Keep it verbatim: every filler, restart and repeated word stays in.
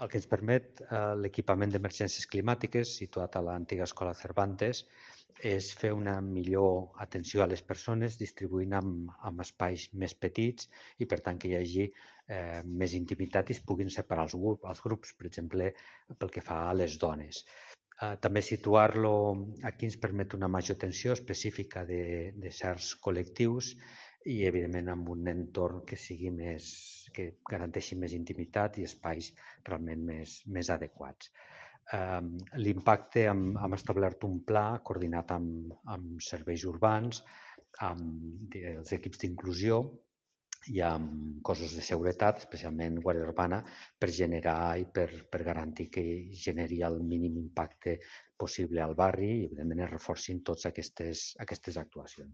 el que ens permet l'equipament d'emergències climàtiques, situat a l'antiga Escola Cervantes, és fer una millor atenció a les persones distribuint en espais més petits i, per tant, que hi hagi més intimitat i es puguin separar els grups, per exemple, pel que fa a les dones. També situar-lo aquí ens permet una major atenció específica de certs col·lectius i, evidentment, amb un entorn que sigui més, que garanteixi més intimitat i espais realment més adequats. L'impacte, hem establert un pla coordinat amb serveis urbans, amb els equips d'inclusió i amb cossos de seguretat, especialment Guàrdia Urbana, per generar i per garantir que generi el mínim impacte possible al barri i, evidentment, es reforcin totes aquestes actuacions.